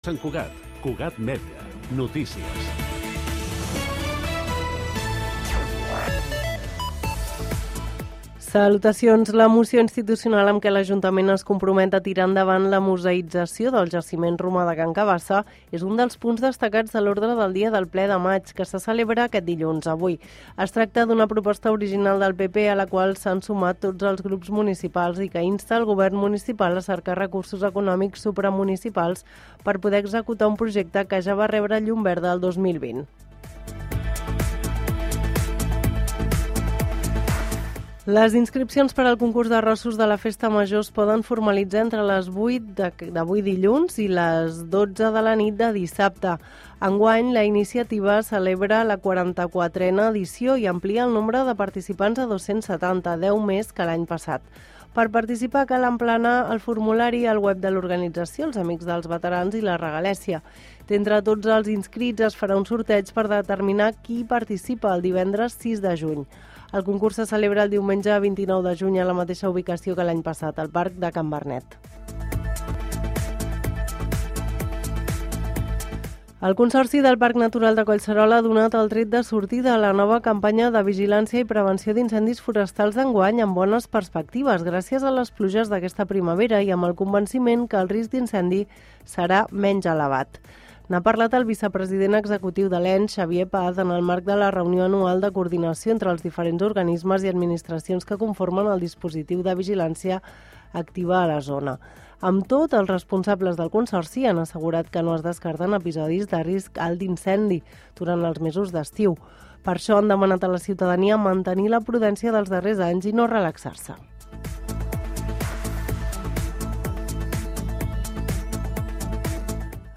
Sant Cugat, Cugat Mèdia, notícies. Salutacions. La moció institucional amb què l'Ajuntament es compromet a tirar endavant la museïtzació del jaciment romà de Can Cabassa és un dels punts destacats de l'ordre del dia del ple de maig, que se celebra aquest dilluns, avui. Es tracta d'una proposta original del PP a la qual s'han sumat tots els grups municipals i que insta el govern municipal a cercar recursos econòmics supramunicipals per poder executar un projecte que ja va rebre llum verda el 2020. Les inscripcions per al concurs d'arrossos de la Festa Major es poden formalitzar entre les 8 d'avui dilluns i les 12 de la nit de dissabte. Enguany, la iniciativa celebra la 44a edició i amplia el nombre de participants a 270, 10 més que l'any passat. Per participar cal emplenar el formulari al web de l'organització, els Amics dels Veterans i la Regalèssia. D'entre tots els inscrits es farà un sorteig per determinar qui participa el divendres 6 de juny. El concurs se celebra el diumenge 29 de juny a la mateixa ubicació que l'any passat, al Parc de Can Bernet. El Consorci del Parc Natural de Collserola ha donat el tret de sortida a la nova campanya de vigilància i prevenció d'incendis forestals d'enguany amb bones perspectives, gràcies a les pluges d'aquesta primavera i amb el convenciment que el risc d'incendi serà menys elevat. N'ha parlat el vicepresident executiu de l'ENS, Xavier Paz, en el marc de la reunió anual de coordinació entre els diferents organismes i administracions que conformen el dispositiu de vigilància activa a la zona. Amb tot, els responsables del Consorci han assegurat que no es descarten episodis de risc alt d'incendi durant els mesos d'estiu. Per això han demanat a la ciutadania mantenir la prudència dels darrers anys i no relaxar-se.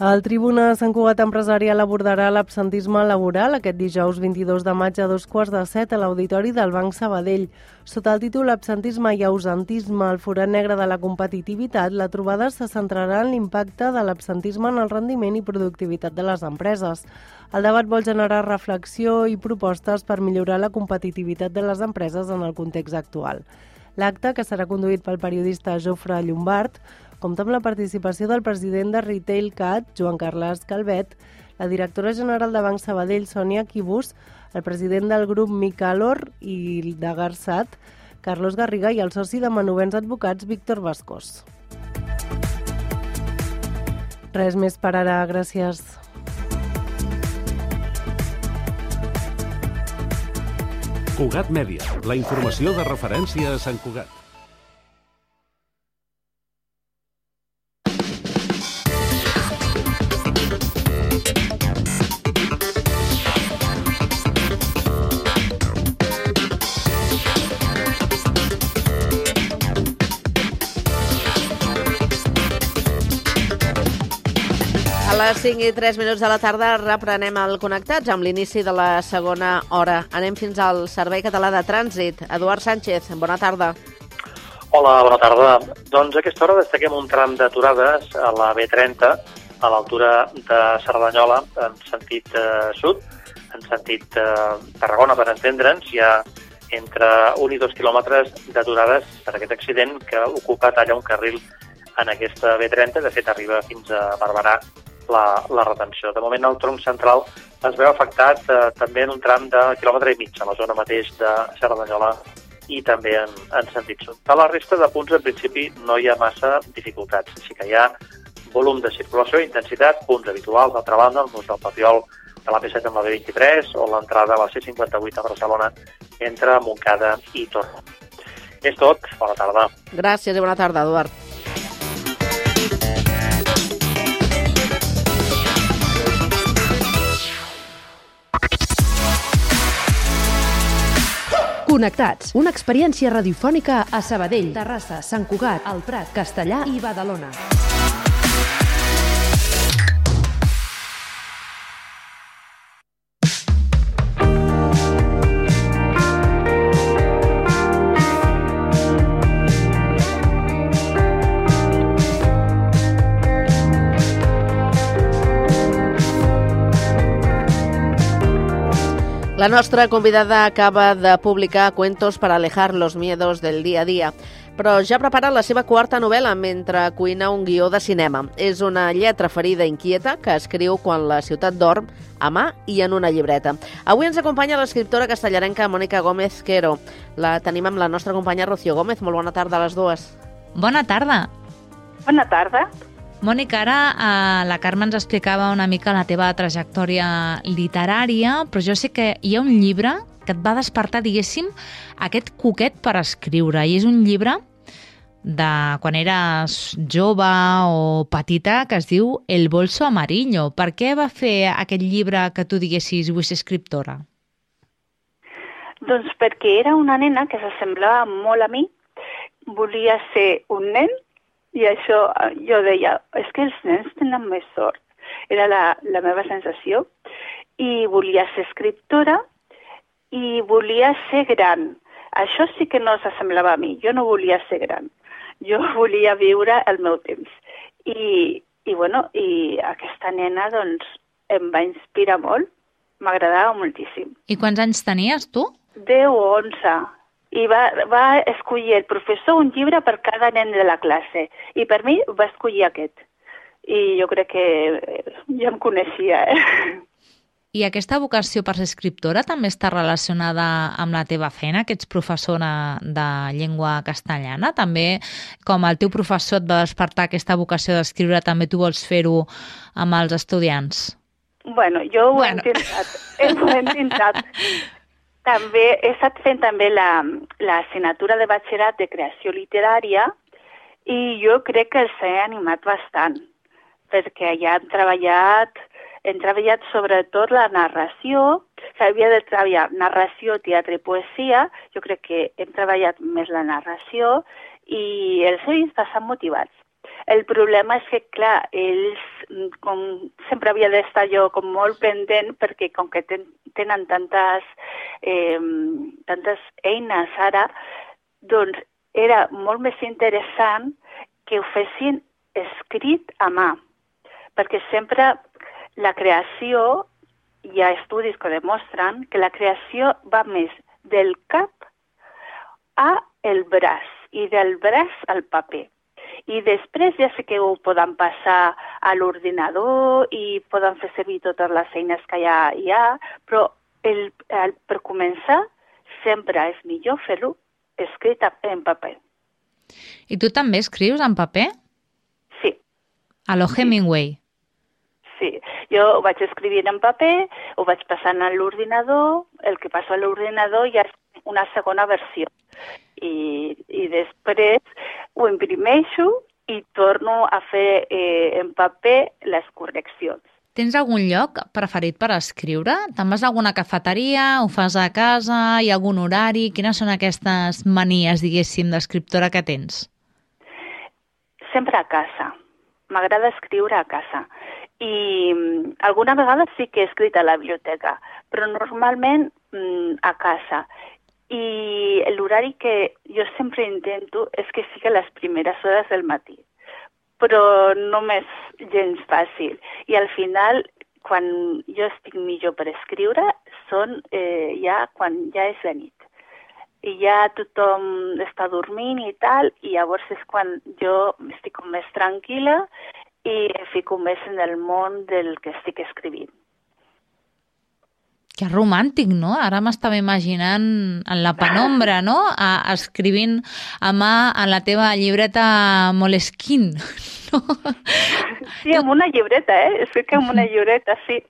El Tribuna Sant Cugat Empresarial abordarà l'absentisme laboral aquest dijous 22 de maig a 7:15 a l'Auditori del Banc Sabadell. Sota el títol Absentisme i ausentisme, el forat negre de la competitivitat, la trobada se centrarà en l'impacte de l'absentisme en el rendiment i productivitat de les empreses. El debat vol generar reflexió i propostes per millorar la competitivitat de les empreses en el context actual. L'acte, que serà conduït pel periodista Jofre Llombart, compta amb la participació del president de Retail Cat, Joan Carles Calvet, la directora general de Banc Sabadell, Sònia Quibus, el president del grup Micalor i de Garsat, Carlos Garriga, i el soci de Manovens Advocats, Víctor Bascós. Res més per ara, gràcies. Cugat Mèdia, la informació de referència a Sant Cugat. A les 5:03 de la tarda reprenem el Connectats amb l'inici de la segona hora. Anem fins al Servei Català de Trànsit. Eduard Sánchez, bona tarda. Hola, bona tarda. Doncs a aquesta hora destaquem un tram d'aturades a la B30, a l'altura de Cerdanyola, en sentit sud, en sentit Tarragona, per entendre'ns. Hi ha entre 1 i 2 quilòmetres d'aturades per aquest accident que ocupa talla un carril en aquesta B30. De fet, arriba fins a Barberà la retenció. De moment, el tronc central es veu afectat també en un tram de quilòmetre i mig, a la zona mateix de Cerdanyola i també en sentit sud. A la resta de punts, en principi, no hi ha massa dificultats. Sí que hi ha volum de circulació i intensitat, punts habituals. D'altra banda, el nus del Papiol de la P7 amb la B23 o l'entrada a la C58 a Barcelona entre Montcada i Torrent. És tot. Bona tarda. Gràcies i bona tarda, Eduard. Connectats, una experiència radiofònica a Sabadell, Terrassa, Sant Cugat, El Prat, Castellar i Badalona. La nostra convidada acaba de publicar Cuentos para alejar los miedos del día a día. però ja prepara la seva quarta novel·la mentre cuina un guió de cinema. És una lletra ferida inquieta que escriu quan la ciutat dorm, a mà i en una llibreta. Avui ens acompanya l'escriptora castellarenca Mònica Gómez Quero. La tenim amb la nostra companya Rocío Gómez. Molt bona tarda a les dues. Bona tarda. Bona tarda. Mònica, ara la Carme ens explicava una mica la teva trajectòria literària, però jo sé que hi ha un llibre que et va despertar, diguéssim, aquest coquet per escriure. I és un llibre de quan eres jove o petita que es diu El bolso amarillo. Per què va fer aquest llibre que tu diguessis vull ser escriptora? Doncs perquè era una nena que s'assemblava molt a mi, volia ser un nen i això jo deia, és que els nens tenen més sort. Era la meva sensació. I volia ser escriptora i volia ser gran. Això sí que no s'assemblava a mi. Jo no volia ser gran. Jo volia viure el meu temps. I aquesta nena doncs, em va inspirar molt. M'agradava moltíssim. I quants anys tenies, tu? 10 o 11. I va escollir el professor un llibre per cada nen de la classe. I per mi va escollir aquest. I jo crec que ja em coneixia, I aquesta vocació per ser escriptora també està relacionada amb la teva feina, que ets professora de llengua castellana. També, com el teu professor et va despertar aquesta vocació d'escriure, també tu vols fer-ho amb els estudiants? Bueno, jo ho he intentat. També he estat fent també l'assignatura de batxillerat de creació literària i jo crec que els he animat bastant, perquè ja hem treballat sobretot la narració, s'havia de treballar narració, teatre i poesia, jo crec que hem treballat més la narració i els he vist bastant motivats. El problema és que, clar, ells, com sempre havia d'estar jo com molt pendent, perquè com que tenen tantes eines ara, doncs era molt més interessant que ho fessin escrit a mà, perquè sempre la creació, hi ha estudis que demostren que la creació va més del cap a el braç i del braç al paper. I després ja sé que ho poden passar a l'ordinador i poden fer servir totes les eines que hi ha, però per començar sempre és millor fer-ho escrit en paper. I tu també escrius en paper? Sí. A lo Hemingway? Sí, jo ho vaig escrivint en paper, ho vaig passant a l'ordinador, el que passo a l'ordinador ja és una segona versió. I després ho imprimeixo i torno a fer en paper les correccions. Tens algun lloc preferit per escriure? Te'n vas a alguna cafeteria, ho fas a casa, hi ha algun horari? Quines són aquestes manies, diguéssim, d'escriptora que tens? Sempre a casa. M'agrada escriure a casa. I alguna vegada sí que he escrit a la biblioteca, però normalment a casa. I l'horari que jo sempre intento és que sigui a les primeres hores del matí, però no m'és gens fàcil. I al final, quan jo estic millor per escriure, són ja quan ja és de nit. I ja tothom està dormint i tal, i llavors és quan jo estic més tranquil·la i em fico més en el món del que estic escrivint. Que romàntic, no? Ara m'estava imaginant en la penombra, no? Escrivint a mà en la teva llibreta Moleskine, no? Sí, amb una llibreta, Escric amb una llibreta, sí.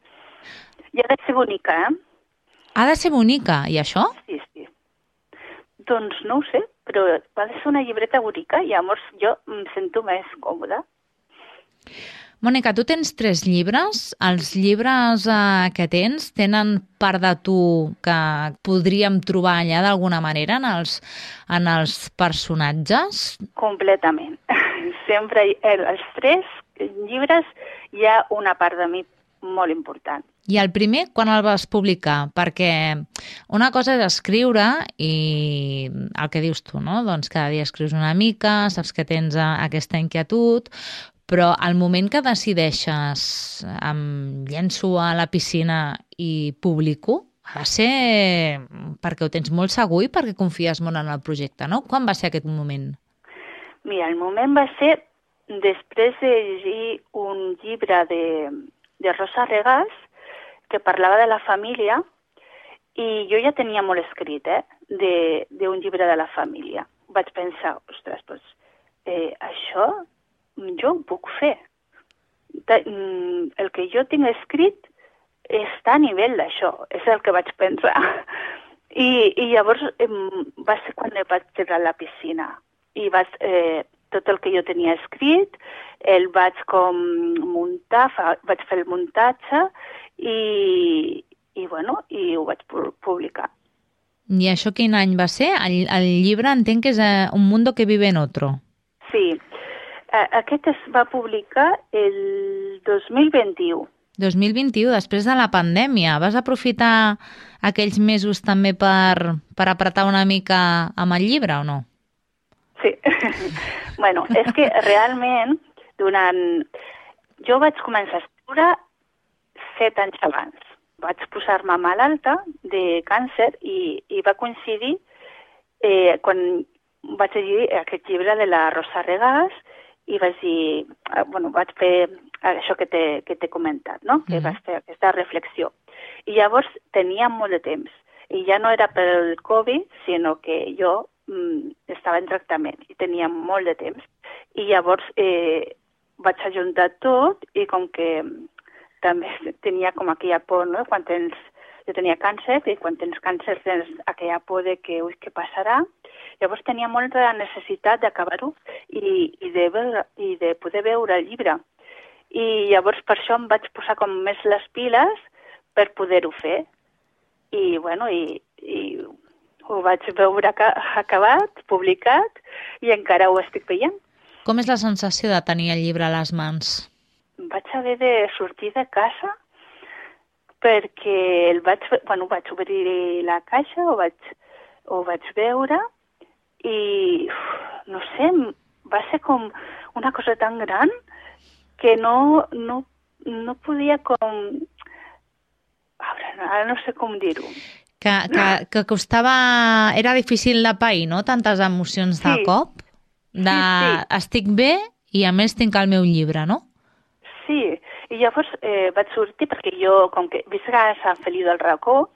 I ha de ser bonica, Ha de ser bonica, i això? Sí. Doncs no ho sé, però ha de ser una llibreta bonica i llavors jo em sento més còmoda. Mònica, tu tens 3 llibres. Els llibres que tenen part de tu que podríem trobar allà d'alguna manera en els personatges? Completament. Sempre els 3 llibres hi ha una part de mi molt important. I el primer, quan el vas publicar? Perquè una cosa és escriure i el que dius tu, no? Doncs cada dia escrius una mica, saps que tens aquesta inquietud, però al moment que decideixes em llenço a la piscina i publico, ha de ser perquè ho tens molt segur i perquè confies molt en el projecte, no? Quan va ser aquest moment? Mira, el moment va ser després de llegir un llibre de Rosa Regàs que parlava de la família, i jo ja tenia molt escrit, d'un llibre de la família. Vaig pensar, ostres, doncs, això jo ho puc fer. El que jo tinc escrit està a nivell d'això, és el que vaig pensar. I llavors va ser quan vaig tirar a la piscina. I tot el que jo tenia escrit, el vaig com muntar, vaig fer el muntatge i ho vaig publicar. I això quin any va ser? El llibre entenc que és Un mundo que vive en otro. Sí, aquest es va publicar el 2021. 2021, després de la pandèmia. Vas aprofitar aquells mesos també per apretar una mica amb el llibre o no? Sí. Bueno, és que realment jo vaig començar a escriure 7 anys abans. Vaig posar-me malalta de càncer i va coincidir quan vaig llegir aquest llibre de la Rosa Regàs i vaig dir, vaig fer això que t'he comentat, no? Que vaig fer aquesta reflexió. I llavors tenia molt de temps. I ja no era pel Covid, sinó que jo estava en tractament i tenia molt de temps. I llavors vaig ajuntar tot i com que també tenia com aquella por, no? Jo tenia càncer i quan tens càncer tens aquella por de que, què passarà? Llavors tenia molta necessitat d'acabar-ho i de poder veure el llibre. I llavors per això em vaig posar com més les piles per poder-ho fer. I ho vaig veure acabat, publicat, i encara ho estic veient. Com és la sensació de tenir el llibre a les mans? Vaig haver de sortir de casa perquè vaig obrir la caixa, ho vaig veure i, no sé, va ser com una cosa tan gran que no podia com... Ara no sé com dir-ho. Que costava... Era difícil de pair, no? Tantes emocions de cop. Sí. Estic bé i a més tinc el meu llibre, no? Sí, i llavors vaig sortir perquè jo, com que visc a Sant Feliu del Racó,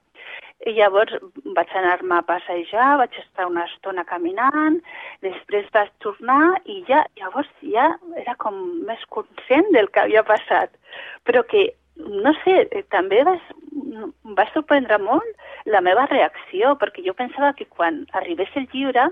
i llavors vaig anar-me a passejar, vaig estar una estona caminant, després vaig tornar i llavors ja era com més conscient del que havia passat. Però que, no sé, també va sorprendre molt la meva reacció, perquè jo pensava que quan arribés el llibre,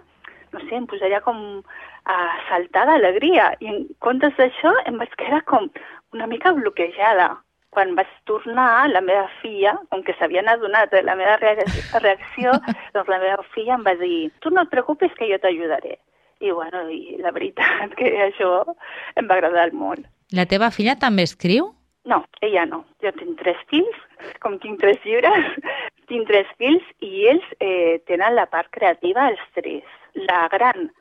no sé, em posaria com a saltar d'alegria. I en comptes d'això em vaig quedar com una mica bloquejada. Quan vaig tornar, la meva filla, com que s'havien adonat de la meva reacció, doncs la meva filla em va dir, tu no et preocupis que jo t'ajudaré. I la veritat que això em va agradar molt. La teva filla també escriu? No, ella no. Jo tinc 3 fills, com tinc 3 llibres, tinc 3 fills i ells tenen la part creativa els 3. La gran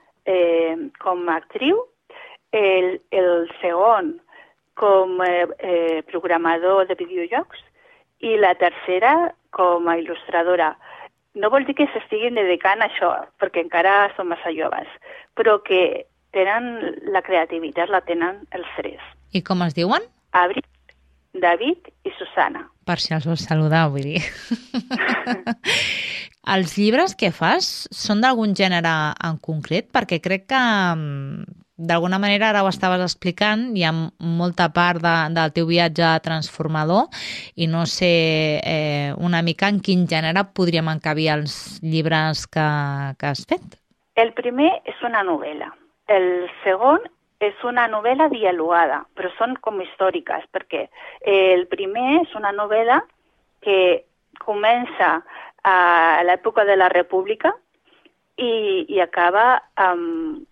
com a actriu, el segon com programador de videojocs i la tercera com a il·lustradora. No vol dir que s'estiguin dedicant a això, perquè encara són massa joves, però que tenen la creativitat, la tenen els 3. I com es diuen? Abril, David i Susana. Per si els vols saludar, vull dir. Els llibres que fas són d'algun gènere en concret? Perquè crec que d'alguna manera, ara ho estaves explicant, hi ha molta part del teu viatge transformador i no sé una mica en quin gènere podríem encabir els llibres que has fet. El primer és una novel·la. El segon és una novel·la dialogada, però són com històriques, perquè el primer és una novel·la que comença a l'època de la República i acaba amb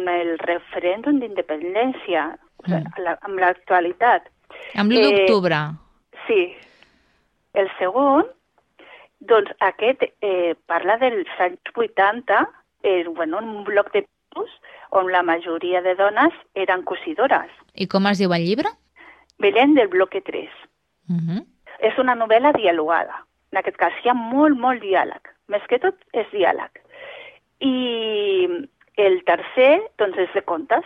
el referèndum d'independència, amb l'actualitat. Amb l'1 d'octubre. Sí. El segon, doncs aquest parla dels anys 80, un bloc de pisos on la majoria de dones eren cosidores. I com es diu el llibre? Belén del bloque 3. És una novel·la dialogada. En aquest cas hi ha molt diàleg. Més que tot és diàleg. el tercer, doncs, és de contes.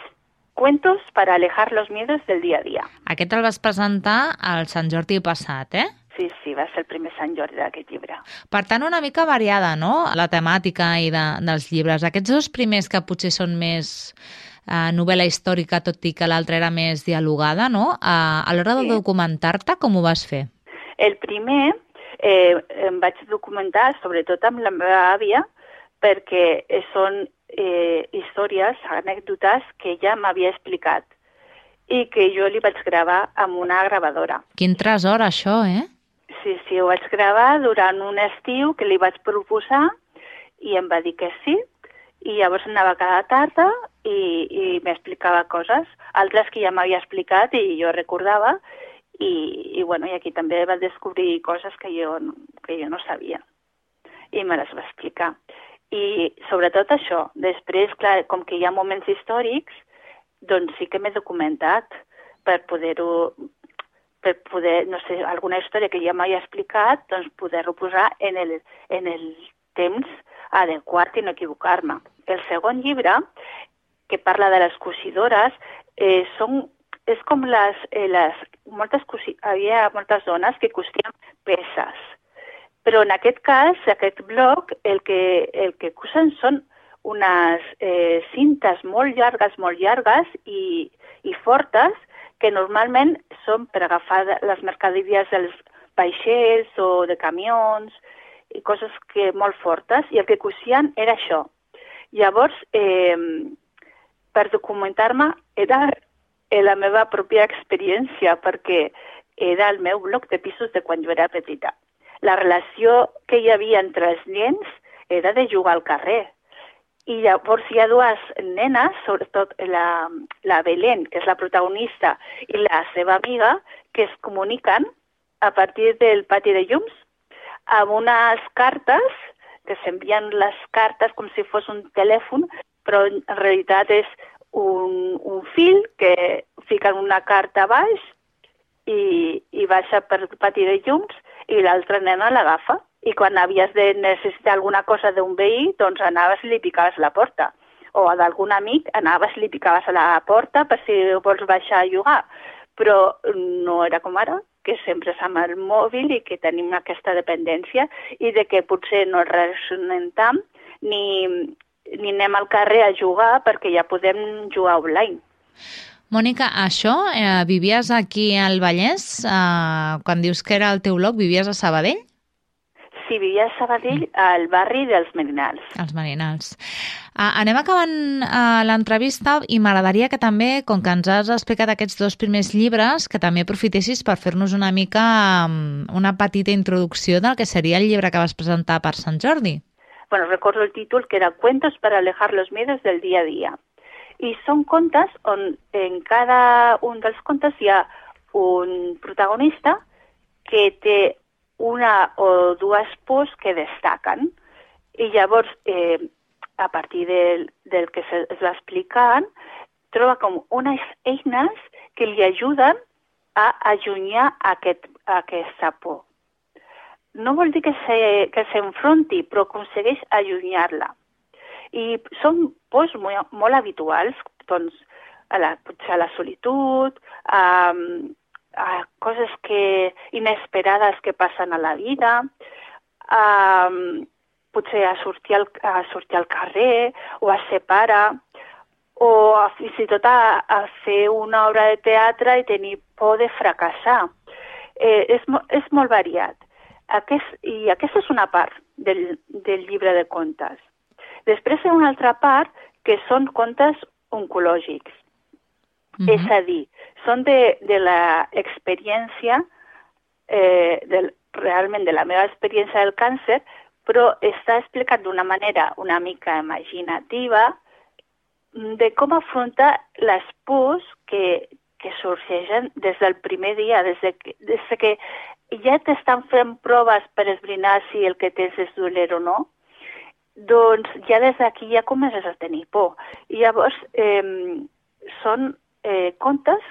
Cuentos para alejar los miedos del día a día. Aquest el vas presentar al Sant Jordi passat, eh? Sí, va ser el primer Sant Jordi d'aquest llibre. Per tant, una mica variada, no?, la temàtica dels llibres. Aquests dos primers que potser són més novel·la històrica, tot i que l'altra era més dialogada, no? A l'hora de documentar-te, com ho vas fer? El primer em vaig documentar, sobretot amb la meva àvia, perquè són històries, anècdotes que ella m'havia explicat i que jo li vaig gravar amb una gravadora. Quin tresor, això, eh? Sí, ho vaig gravar durant un estiu que li vaig proposar i em va dir que sí, i llavors anava cada tarda i m'explicava coses, altres que ja m'havia explicat i jo recordava, i aquí també va descobrir coses que jo no sabia, i me les va explicar. I sobretot això, després, clar, com que hi ha moments històrics, doncs sí que m'he documentat per poder, no sé, alguna història que ja m'havia explicat, doncs poder-ho posar en el temps adequat i no equivocar-me. El segon llibre, que parla de les cosidores, és com havia moltes dones que cosien peces. Però en aquest cas, aquest bloc, el que cosen són unes cintes molt llargues i fortes, que normalment són per agafar les mercaderies dels vaixells o de camions, i coses molt fortes, i el que cosien era això. Llavors, per documentar-me, era la meva pròpia experiència, perquè era el meu bloc de pisos de quan jo era petita. La relació que hi havia entre els nens era de jugar al carrer. I llavors hi ha dues nenes, sobretot la Belén, que és la protagonista, i la seva amiga, que es comuniquen a partir del pati de llums amb unes cartes, que s'envien les cartes com si fos un telèfon, però en realitat és un fil que fiquen una carta a baix i baixa per el pati de llums i l'altra nena l'agafa. I quan havies de necessitar alguna cosa d'un veí, doncs anaves i li picaves a la porta. O d'algun amic anaves i li picaves a la porta per si vols baixar a jugar. Però no era com ara, que sempre és amb el mòbil i que tenim aquesta dependència i de que potser no relacionem tant ni anem al carrer a jugar perquè ja podem jugar online. Mònica, això, vivies aquí al Vallès? Quan dius que era el teu bloc, vivies a Sabadell? Sí, vivia a Sabadell, al barri dels Merinals. Els Merinals. Anem acabant l'entrevista i m'agradaria que també, com que ens has explicat aquests dos primers llibres, que també aprofitessis per fer-nos una mica una petita introducció del que seria el llibre que vas presentar per Sant Jordi. Bueno, recordo el títol, que era Cuentos para alejar los miedos del día a día. I són contes on en cada un dels contes hi ha un protagonista que té una o dues pors que destaquen. I llavors, a partir del que es va explicant, troba com unes eines que li ajuden a allunyar aquesta por. No vol dir que s'enfronti, però aconsegueix allunyar-la. I són pors molt habituals, doncs, potser a la solitud, a coses inesperades que passen a la vida, potser a sortir al carrer o a ser pare, o fins i tot a fer una obra de teatre i tenir por de fracassar. És molt variat. I aquesta és una part del llibre de contes. Després hi ha una altra part que són contes oncològics. És a dir, són de l'experiència, realment de la meva experiència del càncer, però està explicat d'una manera una mica imaginativa de com afrontar les pors que sorgeixen des del primer dia, des que ja t'estan fent proves per esbrinar si el que tens és dolent o no, doncs ja des d'aquí ja comences a tenir por. I llavors són contes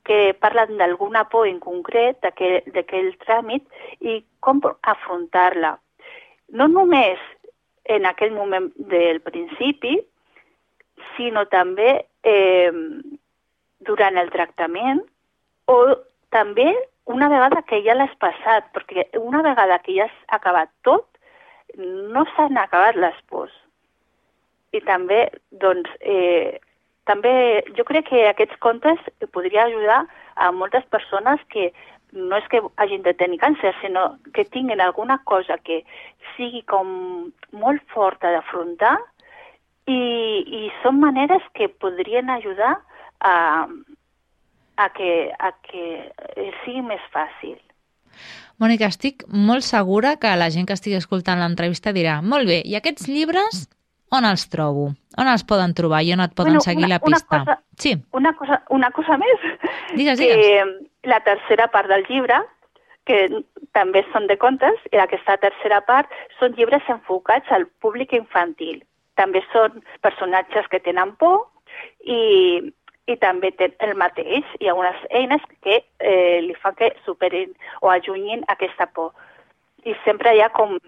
que parlen d'alguna por en concret, d'aquell tràmit, i com afrontar-la. No només en aquell moment del principi, sinó també durant el tractament o també una vegada que ja l'has passat, perquè una vegada que ja has acabat tot, no s'han acabat les pors. I també, doncs, també jo crec que aquests contes podria ajudar a moltes persones que no és que hagin de tenir càncer, sinó que tinguin alguna cosa que sigui com molt forta d'afrontar i són maneres que podrien ajudar a que sigui més fàcil. Mònica, estic molt segura que la gent que estigui escoltant l'entrevista dirà molt bé, i aquests llibres on els trobo? On els poden trobar i on et poden seguir la pista? Sí. Una cosa més. Digues. La tercera part del llibre, que també són de contes, i aquesta tercera part són llibres enfocats al públic infantil. També són personatges que tenen por i també el mateix. Hi ha unes eines que li fan que superin o allunyin aquesta por. I sempre hi ha com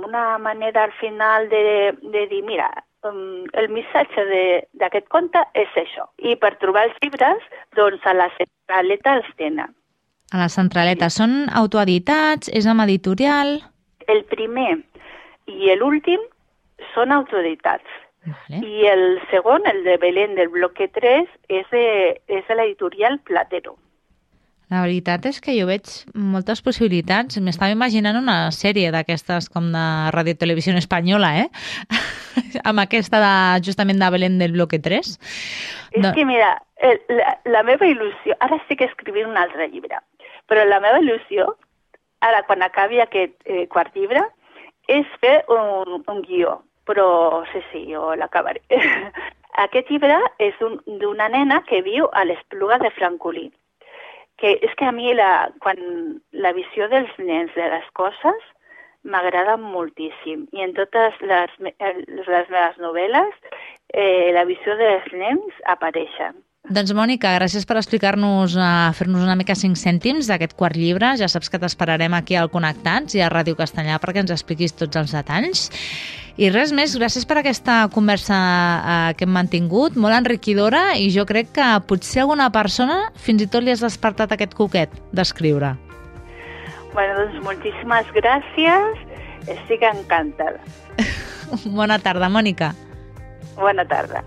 una manera al final de dir, mira, el missatge d'aquest conte és això. I per trobar els llibres, doncs a la centraleta els tenen. A la centraleta. Són autoeditats? És amb editorial? El primer i l'últim són autoeditats. Vale. I el segon, el de Belén del bloque 3, és de l'editorial Platero. La veritat és que jo veig moltes possibilitats. M'estava imaginant una sèrie d'aquestes com de Radio Televisió Espanyola, amb aquesta justament de Belén del bloque 3. És que, mira, la meva il·lusió... Ara estic escrivint un altre llibre, però la meva il·lusió, ara quan acabi aquest quart llibre, és fer un guió. Però sí, jo l'acabaré. Aquest llibre és d'una nena que viu a l'Espluga de Francolí. Que és que a mi quan la visió dels nens de les coses m'agrada moltíssim. I en totes les meves novel·les la visió dels nens apareixen. Doncs, Mònica, gràcies per explicar-nos, fer-nos una mica 5 cèntims d'aquest quart llibre. Ja saps que t'esperarem aquí al Connectats i a Ràdio Castellà perquè ens expliquis tots els detalls. I res més, gràcies per aquesta conversa que hem mantingut, molt enriquidora, i jo crec que potser alguna persona fins i tot li has despertat aquest coquet d'escriure. Bueno, doncs moltíssimes gràcies, estic encantada. Bona tarda, Mònica. Bona tarda.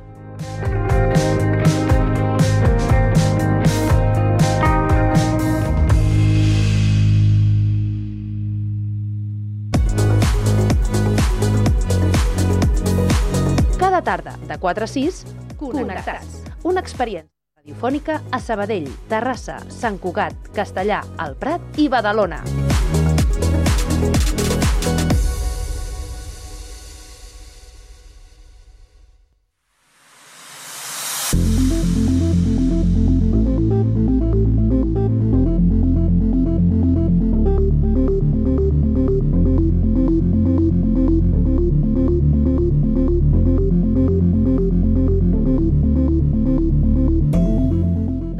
Cada tarda, de 4 a 6, Connectats. Una experiència radiofònica a Sabadell, Terrassa, Sant Cugat, Castellà, El Prat i Badalona.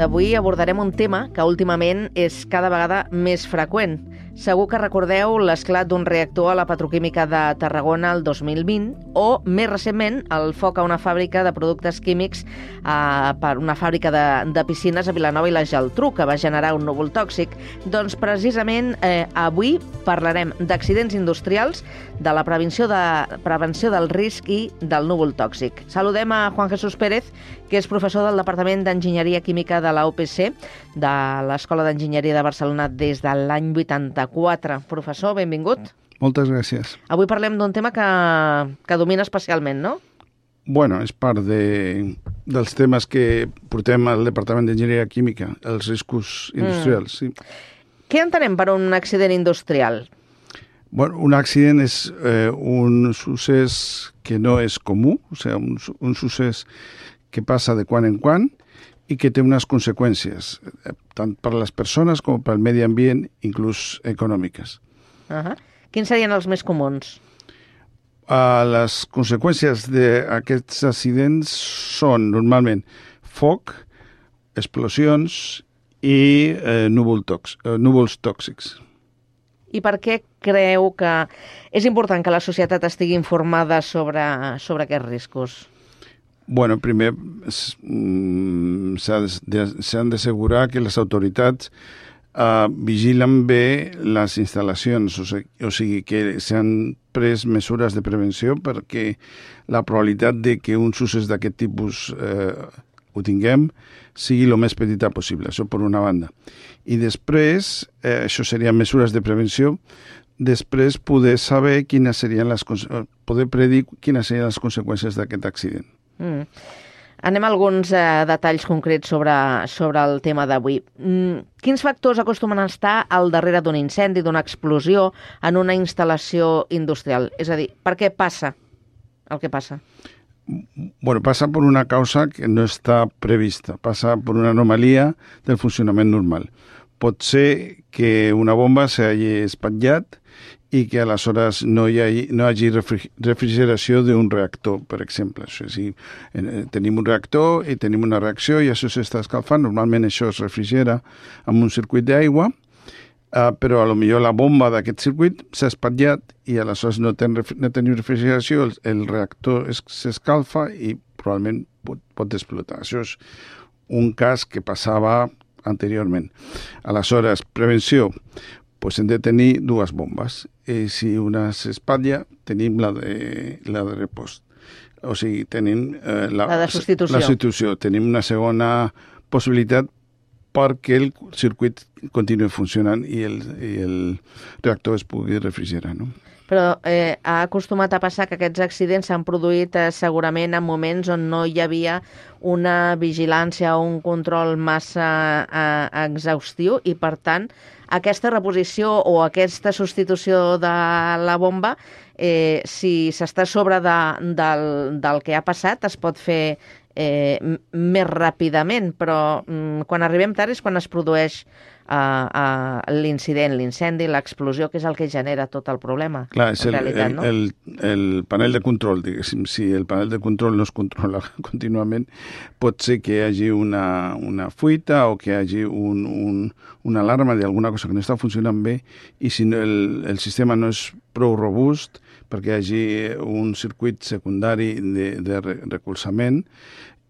Avui abordarem un tema que últimament és cada vegada més freqüent. Segur que recordeu l'esclat d'un reactor a la petroquímica de Tarragona el 2020 o, més recentment, el foc a una fàbrica de productes químics per una fàbrica de piscines a Vilanova i la Geltrú, que va generar un núvol tòxic. Doncs precisament avui parlarem d'accidents industrials, de la prevenció del risc i del núvol tòxic. Saludem a Juan Jesús Pérez, que és professor del Departament d'Enginyeria Química de la UPC, de l'Escola d'Enginyeria de Barcelona des de l'any 84. Professor, benvingut. Moltes gràcies. Avui parlem d'un tema que domina especialment, no? Bueno, és part dels temes que portem al Departament d'Enginyeria Química, els riscos industrials. Sí. Què entenem per un accident industrial? Bueno, un accident és un succés que no és comú, o sigui, un succés que passa de quan en quan i que té unes conseqüències, tant per les persones com pel medi ambient, inclús econòmiques. Quins serien els més comuns? Les conseqüències d'aquests accidents són normalment foc, explosions i núvols tòxics. I per què creu que és important que la societat estigui informada sobre aquests riscos? Bueno, primer s'han d'assegurar que les autoritats vigilen bé les instal·lacions, o sigui que s'han pres mesures de prevenció perquè la probabilitat de que uns usos d'aquest tipus ho tinguem sigui el més petita possible, això per una banda. I després, això serien mesures de prevenció, després poder saber poder predir quines serien les conseqüències d'aquest accident. Anem a alguns detalls concrets sobre el tema d'avui. Quins factors acostumen a estar al darrere d'un incendi, d'una explosió en una instal·lació industrial? És a dir, per què passa el que passa? Bueno, passa per una causa que no està prevista, passa per una anomalia del funcionament normal. Pot ser que una bomba s'hagi espatllat i que aleshores no hi hagi refrigeració d'un reactor, per exemple. O sigui, tenim un reactor i tenim una reacció i això s'està escalfant. Normalment això es refrigera amb un circuit d'aigua, però potser la bomba d'aquest circuit s'ha espatllat i aleshores no tenim refrigeració, el reactor s'escalfa i probablement pot explotar. Això és un cas que passava anteriorment. Aleshores, prevenció. Pues hem de tenir dues bombes. I si una s'espatlla, tenim la de repost. O sigui, tenim la de substitució. La substitució. Tenim una segona possibilitat perquè el circuit continuï funcionant i el reactor es pugui refrigerar, no? Però ha acostumat a passar que aquests accidents s'han produït segurament en moments on no hi havia una vigilància o un control massa exhaustiu i, per tant, aquesta reposició o aquesta substitució de la bomba, si s'està a sobre del que ha passat, es pot fer més ràpidament, però quan arribem tard és quan es produeix l'incident, l'incendi, l'explosió, que és el que genera tot el problema. Clar, és el panel de control, diguéssim. Si el panel de control no es controla contínuament, pot ser que hi hagi una fuita o que hi hagi una alarma d'alguna cosa que no està funcionant bé i si el sistema no és prou robust perquè hi hagi un circuit secundari de recolzament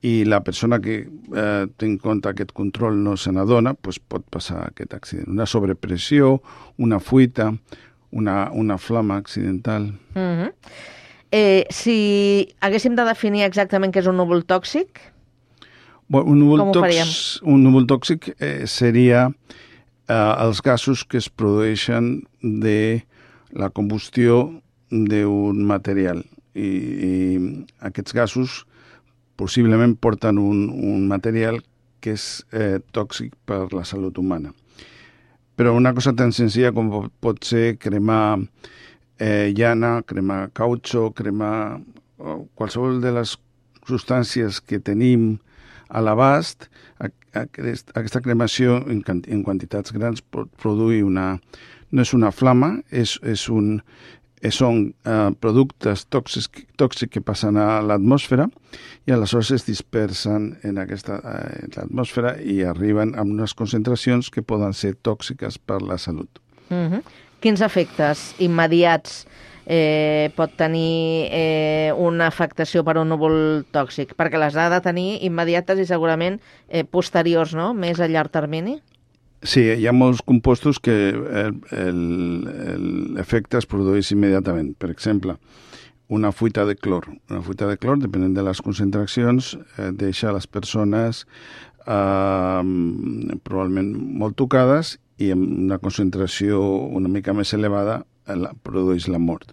i la persona que té en compte aquest control no se n'adona, doncs pot passar aquest accident. Una sobrepressió, una fuita, una flama accidental. Si haguéssim de definir exactament què és un núvol tòxic, com ho faríem? Un núvol tòxic seria els gasos que es produeixen de la combustió d'un material. I aquests gasos possiblement porten un material que és tòxic per la salut humana. Però una cosa tan senzilla com pot ser cremar llana, cremar cautxo, cremar qualsevol de les substàncies que tenim a l'abast, aquesta cremació en quantitats grans pot produir no és una flama, són productes tòxics que passen a l'atmosfera i aleshores es dispersen en l'atmosfera i arriben a unes concentracions que poden ser tòxiques per la salut. Quins efectes immediats pot tenir una afectació per un núvol tòxic? Perquè les ha de tenir immediates i segurament posteriors, no? Més a llarg termini? Sí, hi ha molts compostos que l'efecte es produeix immediatament. Per exemple, una fuita de clor. Una fuita de clor, depenent de les concentracions, deixa les persones probablement molt tocades i amb una concentració una mica més elevada produeix la mort.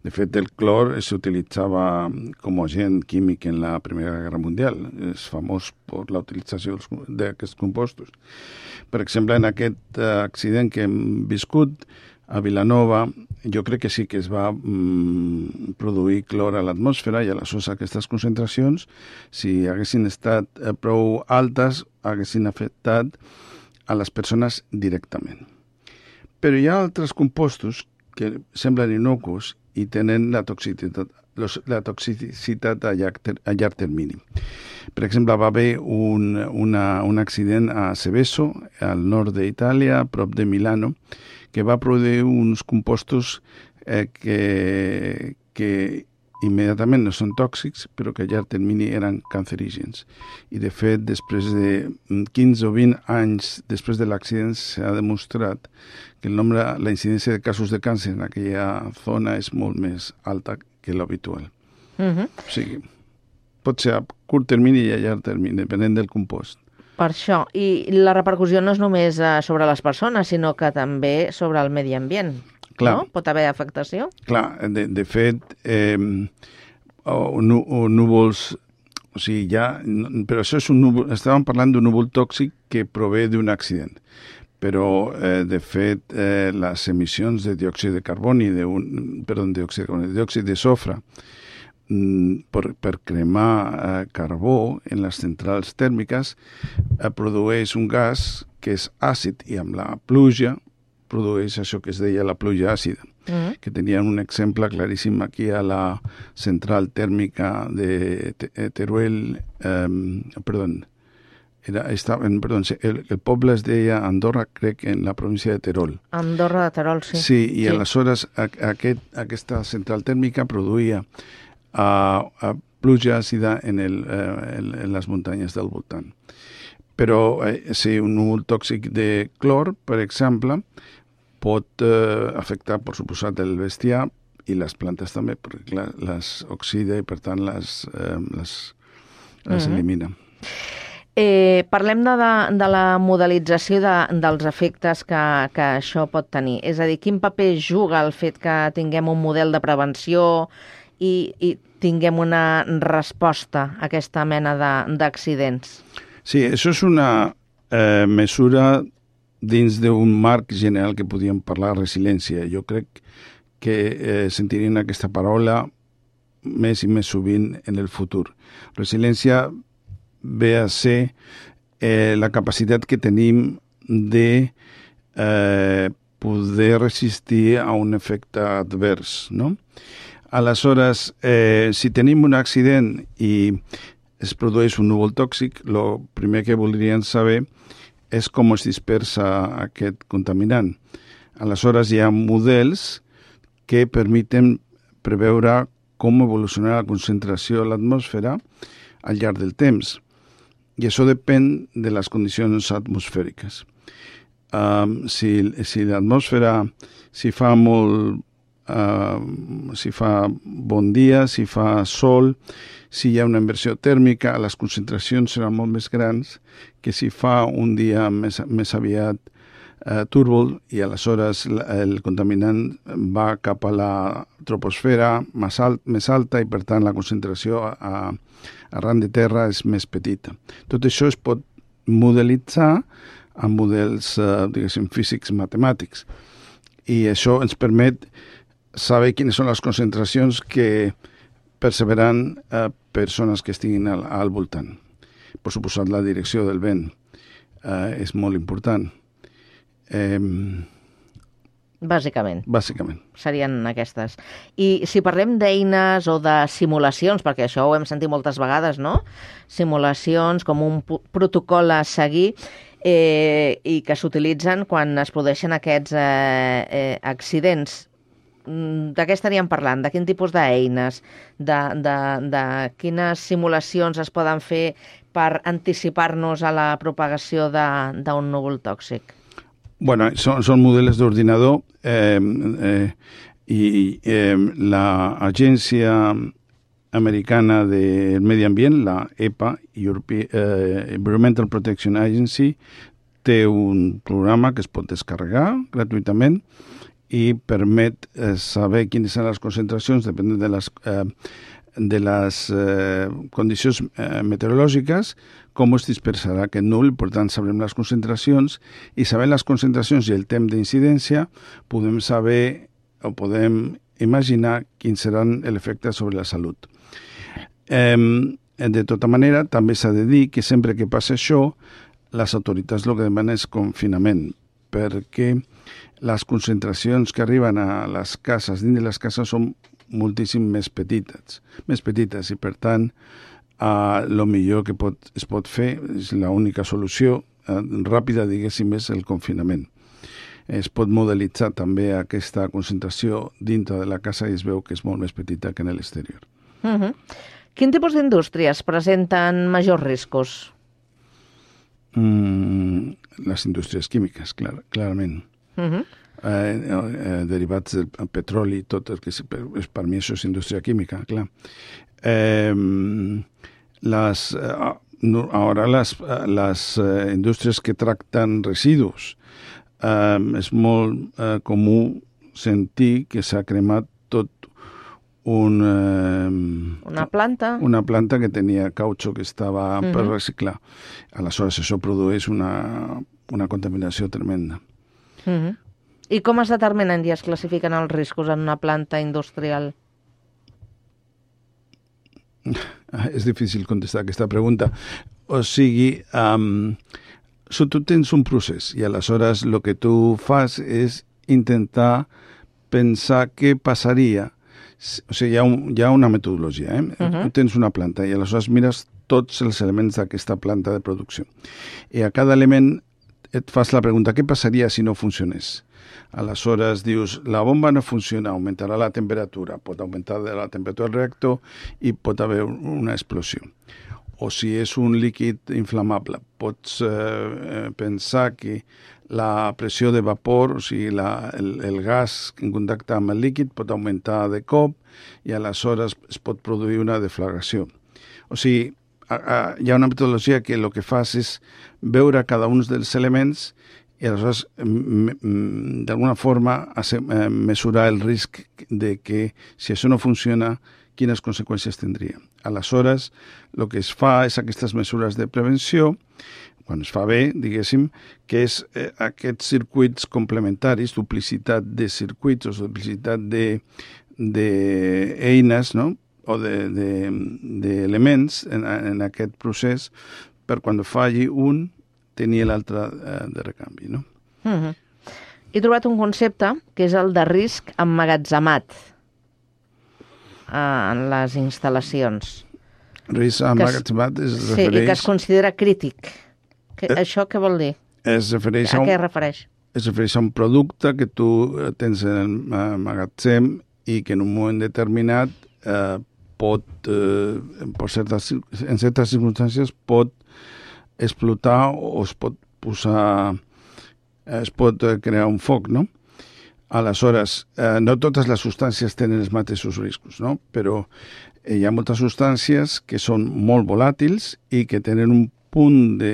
De fet, el clor s'utilitzava com a agent químic en la Primera Guerra Mundial. És famós per la utilització d'aquests compostos. Per exemple, en aquest accident que hem viscut a Vilanova, jo crec que sí que es va produir clor a l'atmosfera i aleshores aquestes concentracions, si haguessin estat prou altes, haguessin afectat a les persones directament. Però hi ha altres compostos que semblen innocus i tenen la toxicitat a llarg termini. Per exemple, va haver un accident a Seveso, al nord d'Itàlia, a prop de Milano, que va produir uns compostos que immediatament no són tòxics, però que a llarg termini eren cancerígens. I, de fet, després de 15 o 20 anys després de l'accident s'ha demostrat que la incidència de casos de càncer en aquella zona és molt més alta que l'habitual. O sigui, pot ser a curt termini i a llarg termini, depenent del compost. Per això. I la repercussió no és només sobre les persones, sinó que també sobre el medi ambient. Clar. No? Pot haver afectació? Clar, de fet, núvols, o sigui, però això és un núvol, estàvem parlant d'un núvol tòxic que prové d'un accident, però, de fet, les emissions de diòxid de carboni, diòxid de sofre, per cremar carbó en les centrals tèrmiques, produeix un gas que és àcid i amb la pluja produeix això que es deia la pluja àcida, que tenien un exemple claríssim aquí a la central tèrmica de Teruel, el poble es deia Andorra, crec, en la província de Terol. Andorra de Terol, sí. Sí, i aleshores aquesta central tèrmica produïa pluja àcida en les muntanyes del voltant. Però si un núvol tòxic de clor, per exemple, pot afectar, per suposat, el bestiar i les plantes també, perquè les oxida i, per tant, les elimina. Parlem de la modelització dels efectes que això pot tenir. És a dir, quin paper juga el fet que tinguem un model de prevenció i tinguem una resposta a aquesta mena d'accidents? Sí, això és una mesura dins d'un marc general que podíem parlar de resiliència. Jo crec que sentirien aquesta paraula més i més sovint en el futur. Resiliència ve a ser la capacitat que tenim de poder resistir a un efecte advers, no? Aleshores, si tenim un accident i es produeix un núvol tòxic, el primer que voldrien saber és com es dispersa aquest contaminant. Aleshores, hi ha models que permeten preveure com evolucionarà la concentració a l'atmosfera al llarg del temps. I això depèn de les condicions atmosfèriques. Si l'atmosfera, si fa bon dia, si fa sol, si hi ha una inversió tèrmica, les concentracions seran molt més grans que si fa un dia més aviat túrbol i aleshores el contaminant va cap a la troposfera més alta i per tant la concentració arran de terra és més petita. Tot això es pot modelitzar amb models, diguéssim, físics matemàtics i això ens permet saber quines són les concentracions que perceberan persones que estiguin al voltant. Per suposat, la direcció del vent és molt important. Bàsicament. Bàsicament. Serien aquestes. I si parlem d'eines o de simulacions, perquè això ho hem sentit moltes vegades, no? Simulacions com un protocol a seguir i que s'utilitzen quan es produeixen aquests accidents. De què estaríem parlant? De quin tipus d'eines? De quines simulacions es poden fer per anticipar-nos a la propagació d'un núvol tòxic? Bueno, són models d'ordinador i l'Agència Americana del Medi Ambient, la EPA, Environmental Protection Agency, té un programa que es pot descarregar gratuïtament i permet saber quines són les concentracions depenent de les condicions meteorològiques, com es dispersarà aquest núvol. Per tant, sabrem les concentracions i sabent les concentracions i el temps d'incidència podem saber o podem imaginar quins seran l'efecte sobre la salut. De tota manera, també s'ha de dir que sempre que passa això, les autoritats el que demanen és confinament, perquè les concentracions que arriben a les cases, dins de les cases, són moltíssim més petites i, per tant, el millor que es pot fer, és l'única solució ràpida, diguéssim, és el confinament. Es pot modelitzar també aquesta concentració dintre de la casa i es veu que és molt més petita que en l'exterior. Quin tipus d'indústries presenten majors riscos? Les indústries químiques, clarament. Derivats del petroli, tot el que per mi això és indústria química, clar. Ara les indústries que tracten residus, és molt comú sentir que s'ha cremat tot una planta que tenia cautxo que estava per reciclar. Aleshores, això produeix una contaminació tremenda. I com es determinen i es classifiquen els riscos en una planta industrial? És difícil contestar aquesta pregunta. O sigui, tu tens un procés i aleshores el que tu fas és intentar pensar què passaria. O sigui, hi ha una metodologia. Tu tens una planta i aleshores mires tots els elements d'aquesta planta de producció. I a cada element et fas la pregunta, què passaria si no funcionés? Aleshores dius, la bomba no funciona, augmentarà la temperatura, pot augmentar la temperatura del reactor i pot haver una explosió. O si és un líquid inflamable, pots pensar que la pressió de vapor, o sigui, el gas en contacte amb el líquid pot augmentar de cop i aleshores es pot produir una deflagració. O sigui, hi ha una metodologia que el que fas és veure cada un dels elements i aleshores, d'alguna forma, mesurar el risc de que si això no funciona, quines conseqüències tindria. Aleshores, el que es fa és aquestes mesures de prevenció, quan es fa bé, diguéssim, que és aquests circuits complementaris, duplicitat de circuits o duplicitat d'eines, no? O d'elements en aquest procés per quan falli un tenir l'altre de recanvi, no? He trobat un concepte que és el de risc emmagatzemat en les instal·lacions. Risc emmagatzemat es refereix... Sí, i que es considera crític. Això què vol dir? A què es refereix? Es refereix a un producte que tu tens en el magatzem i que en un moment determinat pot, en certes circumstàncies, pot explotar o es pot crear un foc, no? Aleshores, no totes les substàncies tenen els mateixos riscos, no? Però hi ha moltes substàncies que són molt volàtils i que tenen un punt de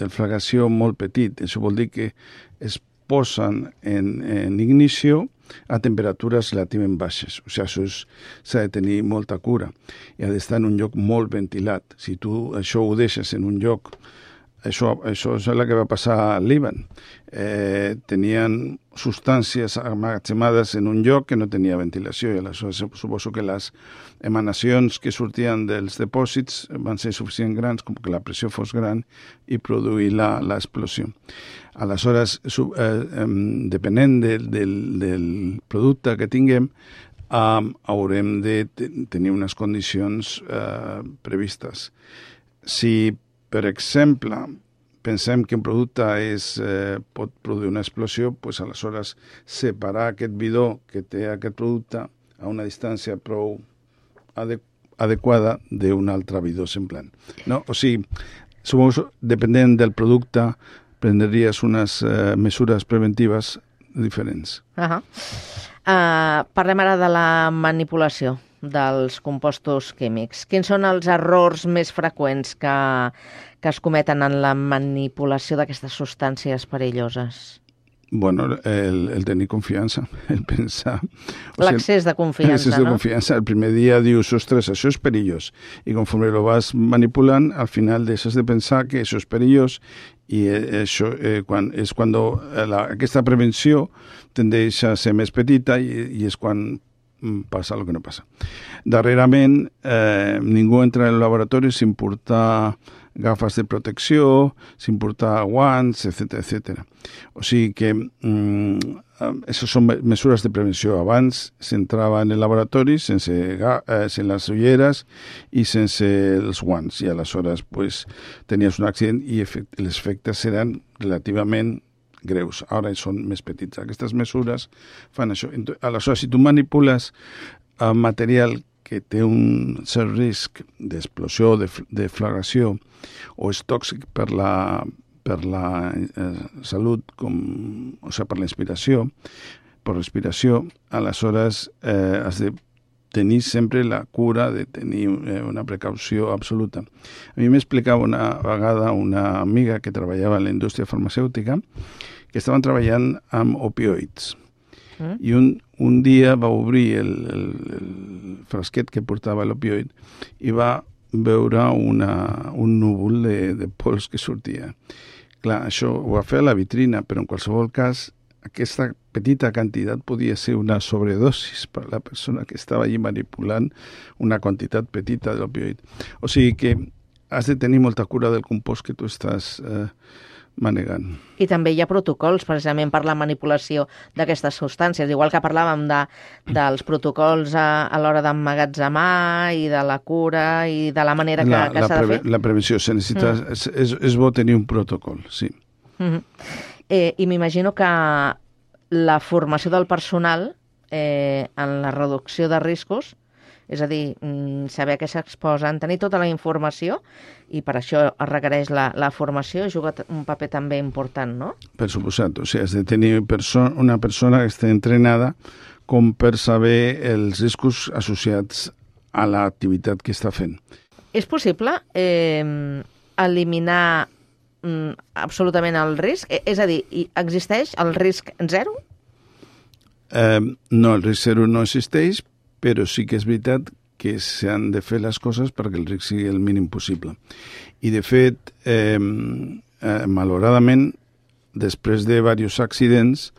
deflagració molt petit. Això vol dir que es posen en ignició a temperatures relativament baixes. O sigui, s'ha de tenir molta cura i ha d'estar en un lloc molt ventilat. Si tu això ho deixes en un lloc... Això és el que va passar al Líban. Tenien substàncies emmagatzemades en un lloc que no tenia ventilació i aleshores suposo que les emanacions que sortien dels depòsits van ser suficient grans com que la pressió fos gran i produir l'explosió. Aleshores, depenent del producte que tinguem, haurem de tenir unes condicions previstes. Si, per exemple, pensem que un producte pot produir una explosió, doncs aleshores separar aquest bidó que té aquest producte a una distància prou adequada d'un altre bidó semblant. No? O sigui, suposo, depenent del producte, prendries unes mesures preventives diferents. Parlem ara de la manipulació dels compostos químics. Quins són els errors més freqüents que es cometen en la manipulació d'aquestes substàncies perilloses? Bueno, el tenir confiança, el pensar... L'accés de confiança, L'accés de confiança. El primer dia dius, ostres, això és perillós. I conforme lo vas manipulant, al final deixes de pensar que això és perillós i això és quan aquesta prevenció tendeix a ser més petita i és quan passa el que no passa. Darrerament, ningú entra al laboratori sin portar gafes de protecció, sin portar guants, etc. O sigui que això són mesures de prevenció. Abans s'entrava en el laboratori sense les ulleres i sense els guants i aleshores tenies un accident i els efectes seran relativament greus. Ara són més petits. Aquestes mesures fan això. Aleshores, si tu manipules material que té un cert risc d'explosió, de deflagració, o és tòxic per la salut, per la inspiració, per respiració, aleshores has de tenir sempre la cura de tenir una precaució absoluta. A mi m'explicava una vegada una amiga que treballava en la indústria farmacèutica que estaven treballant amb opioids. I un dia va obrir el frasquet que portava l'opioid i va veure un núvol de pols que sortia. Clar, això ho va fer a la vitrina, però en qualsevol cas aquesta petita quantitat podia ser una sobredosis per a la persona que estava allí manipulant una quantitat petita de l'opioid. O sigui que has de tenir molta cura del compost que tu estàs manegant. I també hi ha protocols precisament per la manipulació d'aquestes substàncies, igual que parlàvem dels protocols a l'hora d'emmagatzemar i de la cura i de la manera que s'ha de fer. La prevenció, és bo tenir un protocol, sí. I m'imagino que la formació del personal en la reducció de riscos, és a dir, saber què s'exposen, tenir tota la informació, i per això es requereix la formació, juga un paper també important, no? Per suposat, o sigui, has de tenir una persona que estigui entrenada com per saber els riscos associats a l'activitat que està fent. És possible eliminar absolutament el risc? És a dir, existeix el risc zero? No, el risc zero no existeix, però sí que és veritat que s'han de fer les coses perquè el risc sigui el mínim possible. I, de fet, malauradament, després de diversos accidents,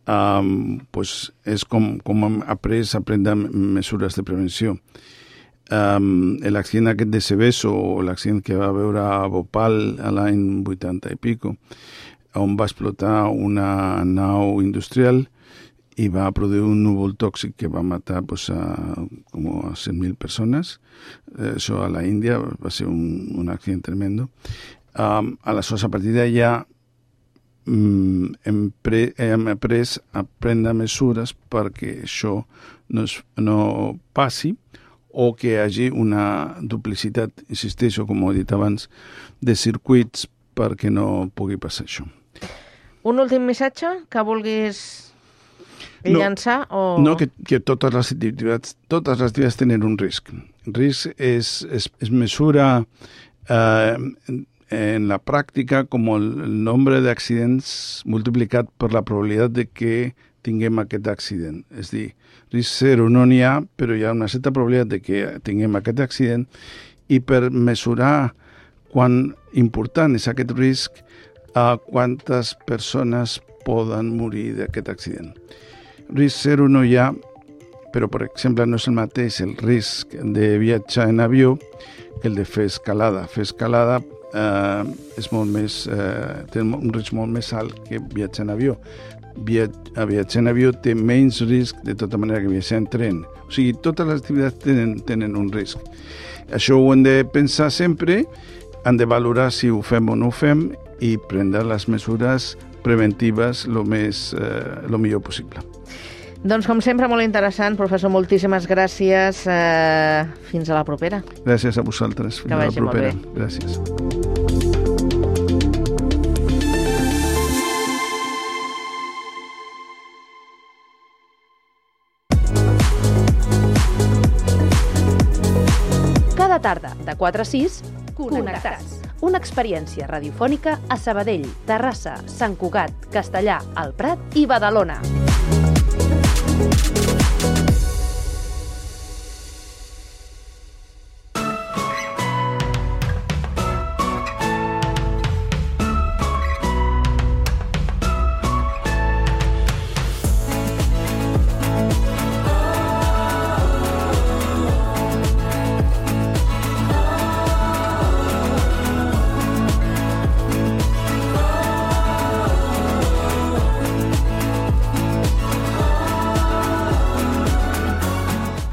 és com hem après a prendre mesures de prevenció. L'accident aquest de Seveso, o l'accident que va veure a Bhopal a l'any 80 i pico, on va explotar una nau industrial i va produir un núvol tòxic que va matar a 100.000 persones. Això a la Índia va ser un accident tremendo. Aleshores, a partir d'allà hem après a prendre mesures perquè això no passi o que hi hagi una duplicitat, insisteixo, com he dit abans, de circuits perquè no pugui passar això. Un últim missatge que vulguis llançar? No, que totes les activitats tenen un risc. El risc es mesura en la pràctica com el nombre d'accidents multiplicat per la probabilitat de que tinguem aquest accident. És a dir, risc zero no n'hi ha, però hi ha una certa probabilitat de que tinguem aquest accident, i per mesurar quan important és aquest risc, quantes persones poden morir d'aquest accident. Risc zero no hi ha, però, per exemple, no és el mateix el risc de viatjar en avió que el de fer escalada. Fer escalada és molt més, té un risc molt més alt que viatjar en avió. Viatjar en avió té menys risc de tota manera que viatjar en tren. O sigui, totes les activitats tenen un risc. Això ho hem de pensar sempre, hem de valorar si ho fem o no ho fem i prendre les mesures preventives el millor possible. Doncs, com sempre, molt interessant. Professor, moltíssimes gràcies. Fins a la propera. Gràcies a vosaltres. Fins a la propera. Gràcies. Cada tarda, de 4 a 6, Connectats. Una experiència radiofònica a Sabadell, Terrassa, Sant Cugat, Castellà, el Prat i Badalona.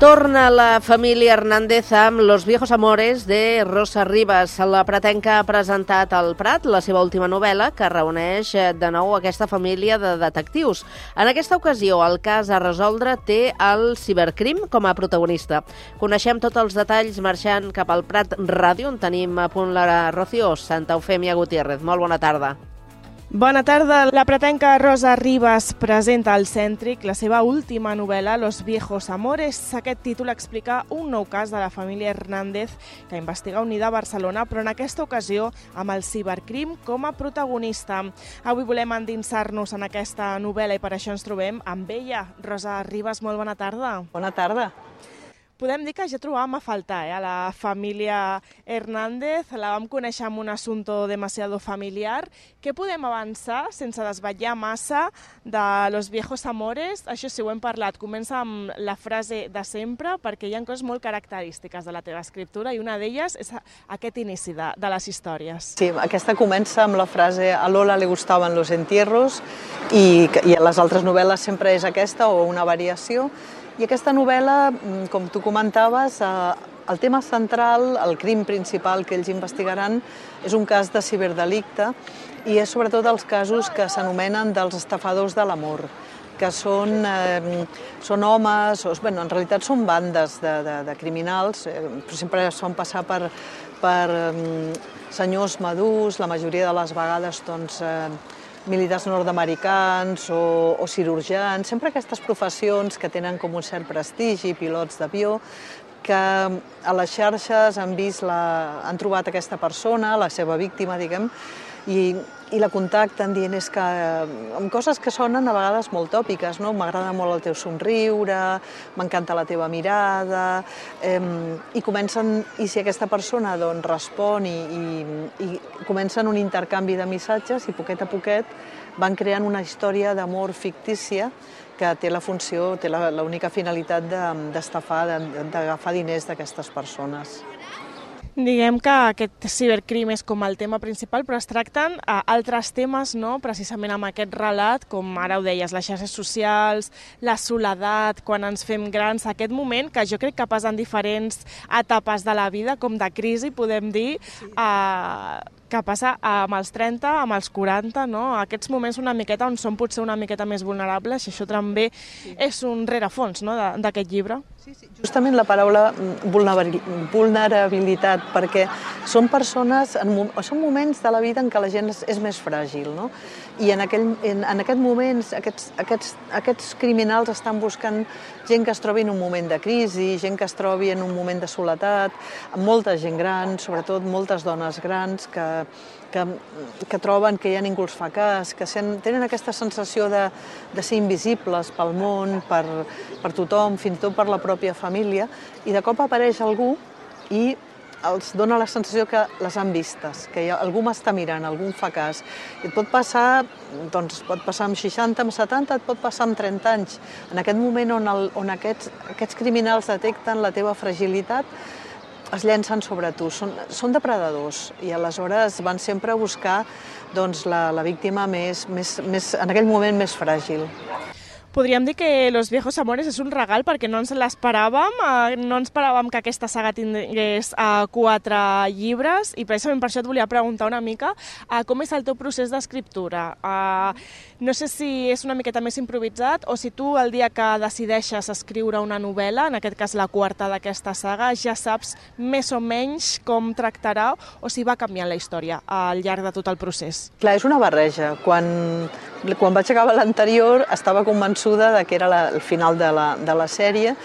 Torna la família Hernández amb Los viejos amores de Rosa Rivas. La Pratenca ha presentat al Prat la seva última novel·la, que reuneix de nou aquesta família de detectius. En aquesta ocasió, el cas a resoldre té el cibercrim com a protagonista. Coneixem tots els detalls marxant cap al Prat Ràdio, on tenim a punt la Rocío Santa Eufèmia Gutiérrez. Molt bona tarda. Bona tarda. La pratenca Rosa Rivas presenta al Cèntric la seva última novel·la, Los viejos amores. Aquest títol explica un nou cas de la família Hernández que investiga unida a Barcelona, però en aquesta ocasió amb el cibercrim com a protagonista. Avui volem endinsar-nos en aquesta novel·la i per això ens trobem amb ella. Rosa Rivas, molt bona tarda. Bona tarda. Podem dir que ja trobàvem a faltar a la família Hernández, la vam conèixer amb un assumpto demasiado familiar. Què podem avançar sense desvetllar massa de Los viejos amores? Això sí, ho hem parlat. Comença amb la frase de sempre, perquè hi ha coses molt característiques de la teva escriptura i una d'elles és aquest inici de les històries. Sí, aquesta comença amb la frase a Lola le gustaban los entierros i a les altres novel·les sempre és aquesta o una variació. I aquesta novel·la, com tu comentaves, el tema central, el crim principal que ells investigaran és un cas de ciberdelicte i és sobretot els casos que s'anomenen dels estafadors de l'amor, que són homes, en realitat són bandes de criminals, però sempre es fan passar per senyors madurs, la majoria de les vegades militars nord-americans o cirurgians, sempre aquestes professions que tenen com un cert prestigi, pilots d'avió, que a les xarxes han trobat aquesta persona, la seva víctima, diguem, i la contacten dient que amb coses que sonen a vegades molt tòpiques, no? M'agrada molt el teu somriure, m'encanta la teva mirada, i si aquesta persona respon i comencen un intercanvi de missatges i poquet a poquet van creant una història d'amor fictícia que té la funció, té l'única finalitat d'estafar, d'agafar diners d'aquestes persones. Diguem que aquest cibercrim és com el tema principal, però es tracten altres temes, no? Precisament amb aquest relat, com ara ho deies, les xarxes socials, la soledat, quan ens fem grans, aquest moment que jo crec que passa en diferents etapes de la vida, com de crisi, podem dir, que passa amb els 30, amb els 40, no? Aquests moments una miqueta on som potser una miqueta més vulnerables, i això també és un rerefons, no?, d'aquest llibre. Sí, justament la paraula vulnerabilitat, perquè són persones, són moments de la vida en què la gent és més fràgil, no? I en aquest moment aquests criminals estan buscant gent que es trobi en un moment de crisi, gent que es trobi en un moment de soledat, molta gent gran, sobretot moltes dones grans que troben que ja ningú els fa cas, que tenen aquesta sensació de ser invisibles pel món, per tothom, fins i tot per la pròpia família, i de cop apareix algú i els dona la sensació que les han vistes, que algú m'està mirant, algú em fa cas. I et pot passar amb 60, amb 70, et pot passar amb 30 anys. En aquest moment on aquests criminals detecten la teva fragilitat, es llencen sobre tu, són depredadors i aleshores van sempre a buscar la víctima en aquell moment més fràgil. Podríem dir que Los viejos amores és un regal perquè no ens l'esperàvem, no ens esperàvem que aquesta saga tingués 4 llibres i precisament per això et volia preguntar una mica com és el teu procés d'escriptura. No sé si és una miqueta més improvisat o si tu el dia que decideixes escriure una novel·la, en aquest cas la 4ª d'aquesta saga, ja saps més o menys com tractarà o si va canviant la història al llarg de tot el procés. Clar, és una barreja. Quan vaig acabar l'anterior estava convençuda que era el final de la sèrie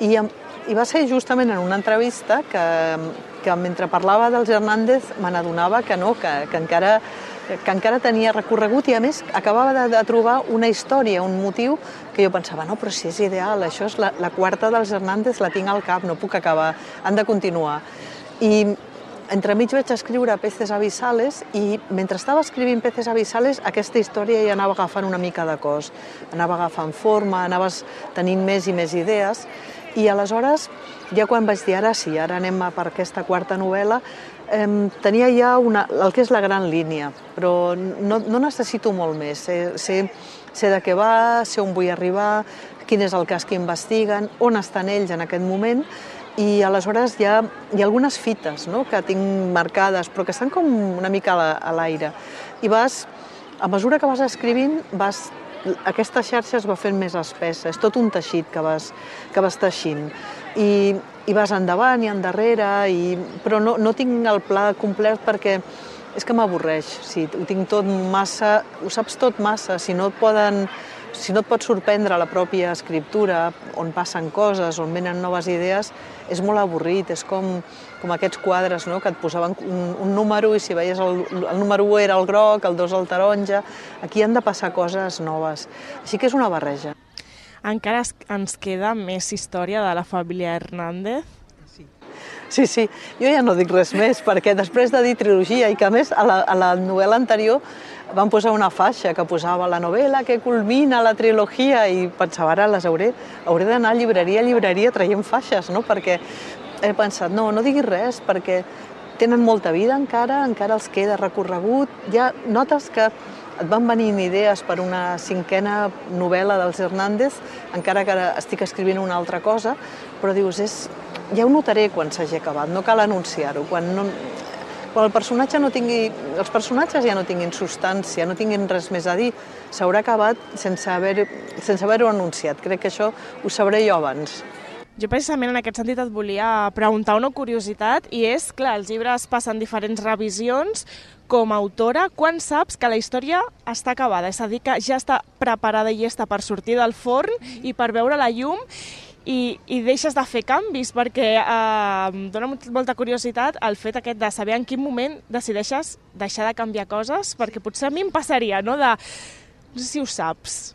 i va ser justament en una entrevista que mentre parlava dels Hernández me n'adonava que no, que encara tenia recorregut i a més acabava de trobar una història, un motiu que jo pensava, no, però si és ideal, això és la 4ª dels Hernández, la tinc al cap, no puc acabar, han de continuar. I entremig vaig escriure Peces abissales i mentre estava escrivint Peces abissales aquesta història ja anava agafant una mica de cos, anava agafant forma, anaves tenint més i més idees i aleshores ja quan vaig dir ara sí, ara anem per aquesta 4ª novel·la, tenia ja el que és la gran línia, però no necessito molt més, sé de què va, sé on vull arribar, quin és el cas que investiguen, on estan ells en aquest moment, i aleshores hi ha algunes fites, no?, que tinc marcades, però que estan com una mica a l'aire. I a mesura que vas escrivint, aquesta xarxa es va fent més espessa, és tot un teixit que vas teixint. I vas endavant i endarrere, però no tinc el pla complet perquè és que m'avorreix. Ho tinc tot massa, ho saps tot massa, si no et pot sorprendre la pròpia escriptura, on passen coses, on venen noves idees, és molt avorrit, és com aquests quadres, no?, que et posaven un número i si veies el número 1 era el groc, el 2 el taronja. Aquí han de passar coses noves. Així que és una barreja. Encara ens queda més història de la família Hernández? Sí, jo ja no dic res més, perquè després de dir trilogia, i que a més a la novel·la anterior van posar una faixa que posava la novel·la que culmina la trilogia, i pensava, ara hauré d'anar a llibreria traient faixes, no?, perquè he pensat, no diguis res, perquè tenen molta vida encara els queda recorregut, ja notes que et van venint idees per una 5a novel·la dels Hernández, encara que ara estic escrivint una altra cosa, però dius, ja ho notaré quan s'hagi acabat, no cal anunciar-ho. Quan els personatges ja no tinguin substància, no tinguin res més a dir, s'haurà acabat sense haver-ho anunciat. Crec que això ho sabré jo abans. Jo precisament en aquest sentit et volia preguntar una curiositat, i és, clar, els llibres passen diferents revisions. Com a autora, quan saps que la història està acabada? És a dir, que ja està preparada i llesta per sortir del forn i per veure la llum, i deixes de fer canvis, perquè em dona molta curiositat el fet aquest de saber en quin moment decideixes deixar de canviar coses, perquè potser a mi em passaria, no sé si ho saps.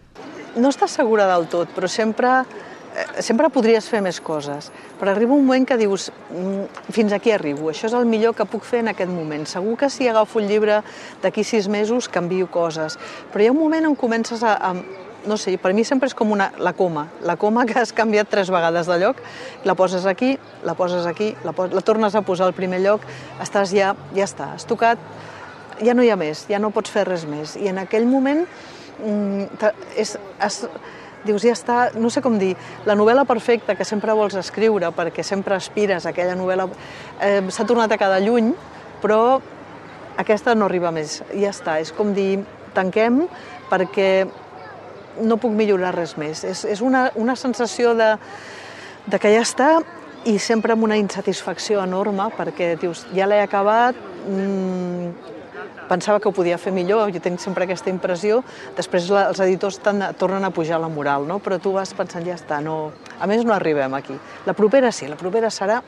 No estàs segura del tot, però sempre podries fer més coses, però arriba un moment que dius, fins aquí arribo, això és el millor que puc fer en aquest moment. Segur que si agafo el llibre d'aquí 6 mesos canvio coses, però hi ha un moment on comences no sé, per mi sempre és com la coma que has canviat 3 vegades de lloc, la poses aquí, la tornes a posar al primer lloc, estàs ja està, has tocat, ja no hi ha més, ja no pots fer res més. I en aquell moment dius, ja està, no sé com dir, la novel·la perfecta que sempre vols escriure, perquè sempre aspires a aquella novel·la, s'ha tornat a quedar lluny, però aquesta no arriba més, ja està. És com dir, tanquem, perquè no puc millorar res més. És una sensació de que ja està, i sempre amb una insatisfacció enorme, perquè dius, ja l'he acabat, pensava que ho podia fer millor, jo tinc sempre aquesta impressió, després els editors tornen a pujar la moral, no? Però tu vas pensant, ja està, a més no arribem aquí. La propera sí, la propera serà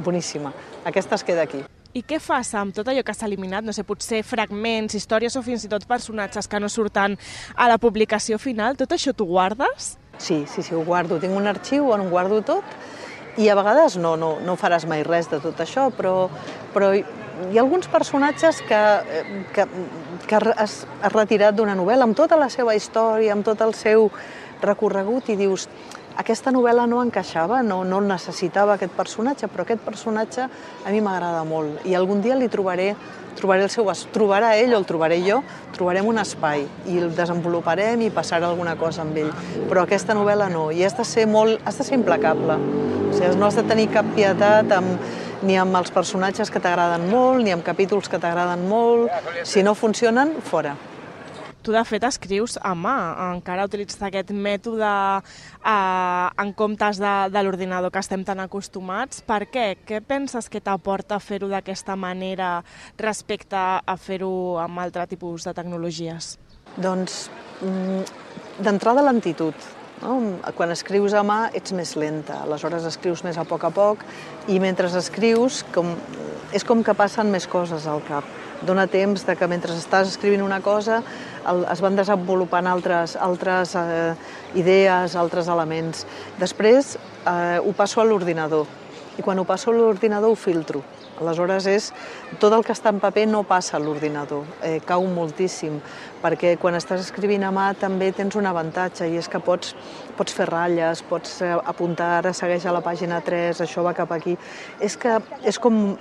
boníssima, aquesta es queda aquí. I què fas amb tot allò que s'ha eliminat? No sé, potser fragments, històries o fins i tot personatges que no surten a la publicació final, tot això t'ho guardes? Sí, ho guardo, tinc un arxiu on ho guardo tot, i a vegades no faràs mai res de tot això, però hi ha alguns personatges que has retirat d'una novel·la amb tota la seva història, amb tot el seu recorregut, i dius, aquesta novel·la no encaixava, no necessitava aquest personatge, però aquest personatge a mi m'agrada molt, i algun dia li trobaré el seu... Trobarà ell o el trobaré jo, trobarem un espai i el desenvoluparem i passarà alguna cosa amb ell. Però aquesta novel·la no, i has de ser implacable. O sigui, no has de tenir cap pietat ni amb els personatges que t'agraden molt, ni amb capítols que t'agraden molt. Si no funcionen, fora. Tu, de fet, escrius a mà, encara utilitzes aquest mètode en comptes de l'ordinador que estem tan acostumats. Per què? Què penses que t'aporta fer-ho d'aquesta manera respecte a fer-ho amb altre tipus de tecnologies? Doncs, d'entrada, lentitud. Quan escrius a mà ets més lenta, aleshores escrius més a poc, i mentre escrius és com que passen més coses al cap. Dóna temps que mentre estàs escrivint una cosa es van desenvolupant altres idees, altres elements. Després ho passo a l'ordinador, i quan ho passo a l'ordinador ho filtro. Aleshores, tot el que està en paper no passa a l'ordinador, cau moltíssim, perquè quan estàs escrivint a mà també tens un avantatge, i és que pots fer ratlles, pots apuntar, ara segueix a la pàgina 3, això va cap aquí. És que és com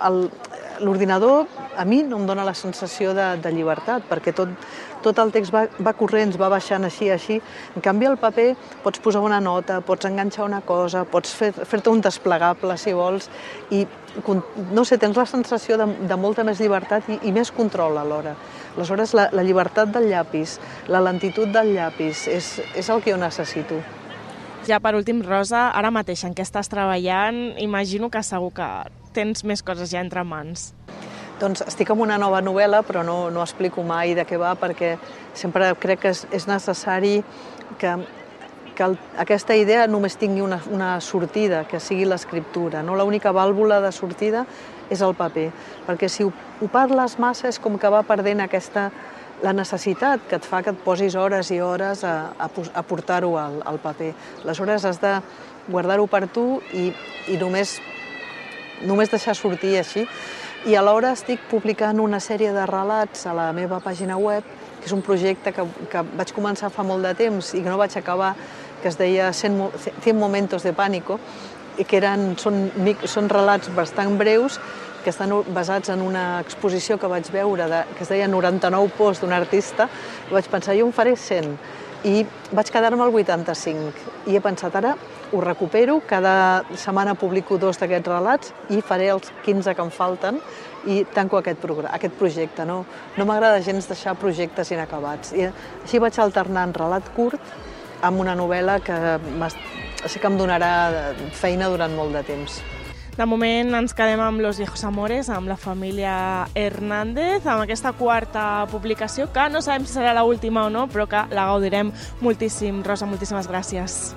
l'ordinador, a mi no em dona la sensació de llibertat, perquè tot el text va corrents, va baixant així. En canvi, al paper pots posar una nota, pots enganxar una cosa, pots fer-te un desplegable, si vols, i no sé, tens la sensació de molta més llibertat i més control alhora. Aleshores, la llibertat del llapis, la lentitud del llapis, és el que jo necessito. Ja per últim, Rosa, ara mateix en què estàs treballant? Imagino que segur que tens més coses ja entre mans. Doncs estic amb una nova novel·la, però no explico mai de què va, perquè sempre crec que és necessari que aquesta idea només tingui una sortida, que sigui l'escriptura. L'única vàlvula de sortida és el paper, perquè si ho parles massa és com que va perdent la necessitat que et fa que et posis hores i hores a portar-ho al paper. Aleshores has de guardar-ho per tu i només deixar sortir així. I alhora estic publicant una sèrie de relats a la meva pàgina web, que és un projecte que vaig començar fa molt de temps i que no vaig acabar, que es deia 100 momentos de pánico, i que són relats bastant breus que estan basats en una exposició que vaig veure, que es deia 99 posts d'un artista, i vaig pensar, jo en faré 100, i vaig quedar-me al 85, i he pensat, ara ho recupero, cada setmana publico 2 d'aquests relats i faré els 15 que em falten i tanco aquest projecte. No m'agrada gens deixar projectes inacabats. I així vaig alternant relat curt amb una novel·la que sé que em donarà feina durant molt de temps. De moment ens quedem amb Los viejos amores, amb la família Hernández, amb aquesta 4a publicació, que no sabem si serà l'última o no, però que la gaudirem moltíssim. Rosa, moltíssimes gràcies.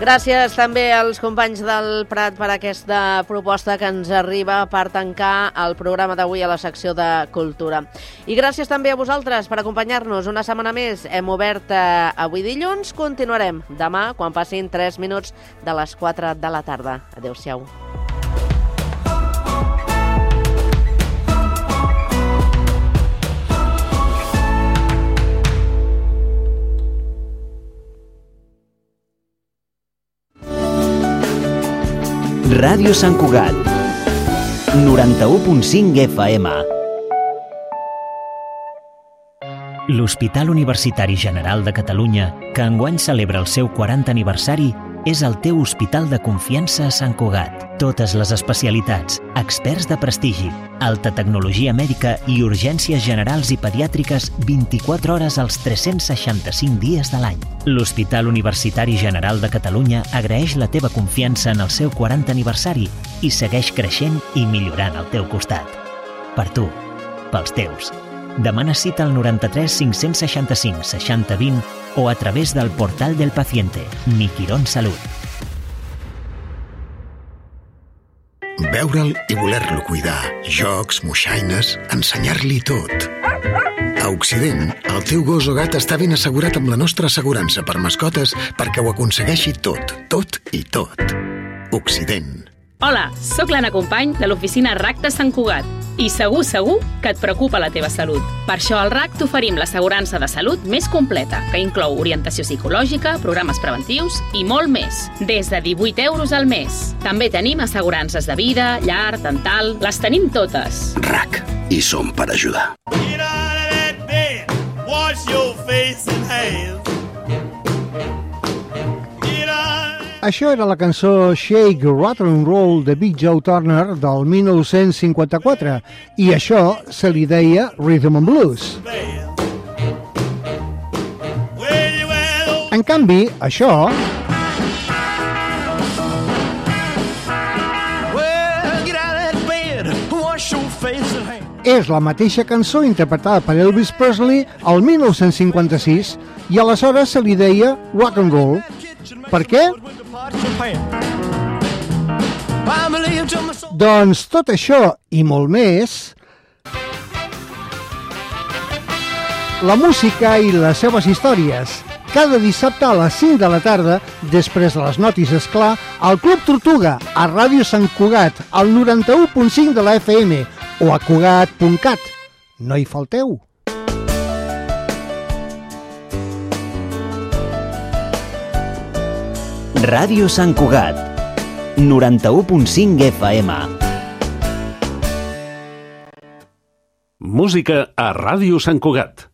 Gràcies també als companys del Prat per aquesta proposta que ens arriba per tancar el programa d'avui a la secció de Cultura. I gràcies també a vosaltres per acompanyar-nos una setmana més. Hem obert avui dilluns, continuarem demà quan passin 3 minuts de les 4 de la tarda. Adéu-siau. Ràdio Sant Cugat, 91.5 FM. L'Hospital Universitari General de Catalunya, que enguany celebra el seu 40 aniversari, és el teu hospital de confiança a Sant Cugat. Totes les especialitats, experts de prestigi, alta tecnologia mèdica i urgències generals i pediàtriques 24 hores als 365 dies de l'any. L'Hospital Universitari General de Catalunya agraeix la teva confiança en el seu 40 aniversari i segueix creixent i millorant al teu costat. Per tu, pels teus. Demana cita al 93 565 60 20 o a través del portal del paciente, Mi Quirón Salut. Veure'l i voler-lo cuidar. Jocs, moixaines, ensenyar-li tot. A Occident, el teu gos o gat està ben assegurat amb la nostra assegurança per mascotes perquè ho aconsegueixi tot, tot i tot. Occident. Hola, sóc l'Anna Company de l'oficina RAC de Sant Cugat i segur que et preocupa la teva salut. Per això al RAC t'oferim l'assegurança de salut més completa, que inclou orientació psicològica, programes preventius i molt més, des de 18 euros al mes. També tenim assegurances de vida, llar, dental, les tenim totes. RAC, i som per ajudar. Això era la cançó Shake, Rattle and Roll de Big Joe Turner del 1954 i això se li deia Rhythm and Blues. En canvi, això és la mateixa cançó interpretada per Elvis Presley el 1956 i aleshores se li deia Rock and Roll. Per què? Doncs tot això i molt més la música i les seves històries. Cada dissabte a les 5 de la tarda, després de les notis, esclar, al Club Tortuga, a Ràdio Sant Cugat, al 91.5 de la FM o a cugat.cat. No hi falteu! Ràdio Sant Cugat, 91.5 FM. Música a Ràdio Sant Cugat.